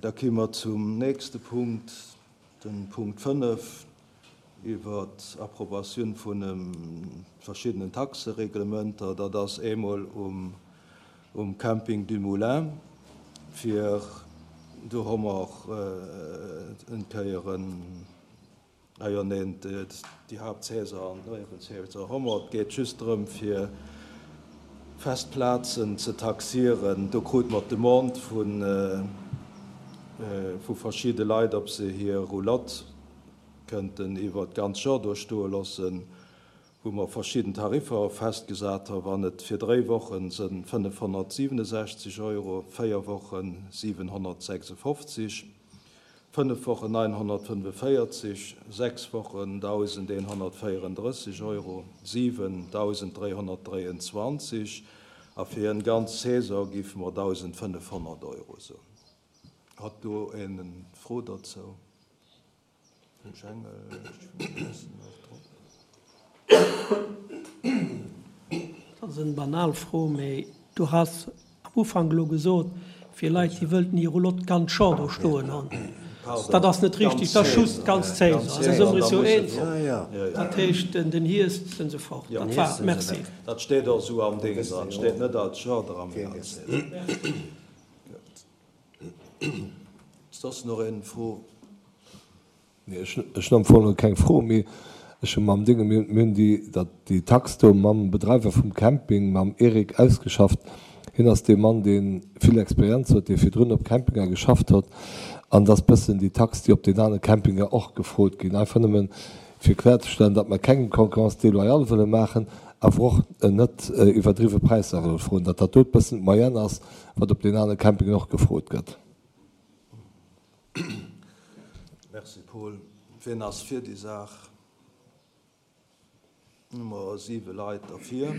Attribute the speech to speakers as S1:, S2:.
S1: Da ki mer zum nächste Punkt, den Punkt 5, iwwer d'Approbatioun vun verschiddenen Taxereglementer. Dat ass eemol um Camping du Moulin, fir do hu mer en Kéier en Ah jo, neen, déi Haaptsaison an d'Nuewensaison hu mer. Et geet just drëm, fir fest Plazen ze taxieren. Do krute mer d'Demande vu verschidde Leit, ob se hir Roulotte kënnten iwwer d'ganz Joer do stoe loossen, wou mer verschidden Tariffer festgesat hu. Wann et fir dréi Wochen sënn 567 Euro, véier Wochen 756. 5 Wochen 945, 6 Wochen 1.134 Euro, 7 1.323 a fir en ganz Saison géife mer 1.500 Euro soen. Hat do een en Fro dozou? Den Jengel, ech weess net drop.
S2: Dat ass en banal Fro, mee du has am Ufank elo gesot, fir Leit déi wëllten hir Roulotte ganz Joer do stoen hunn. Dat ass net richtig, dat ass just d'ganz Saison. De Summer is jo eens, dat heescht den Hierscht sinn se fort. Dat war et. Merci.
S1: Dat steet och esou am Ding dran. Et steet net als Joer dran, mee als Saison. Soss nach een Fro?
S3: Nee, ech hunn am Fong keng Fro, mee ech hu mam Dénge, mir hunn déi, dat, déi Tax do mam Bedreiwer vum Camping, mam Eric, ausgeschafft. Hien ass dee Mann, dee vill Experienz huet, dee virdrun op Campinger geschafft huet. An et ass bëssen déi Tax, déi op den anere Campinger och gefrot ginn. Einfach nëmmen, fir kloerzestellen, datt mer kengem Concurrence déloyale wëlle maachen, awer och net iwwerdriwwe Präisser wëlle froen, datt dat do bëssen d'Moyenne ass, wat op den anere Campingen och gefrot gëtt.
S1: Merci Paul. Wien ass fir déi Saach? Hu mer 7 Leit derfir.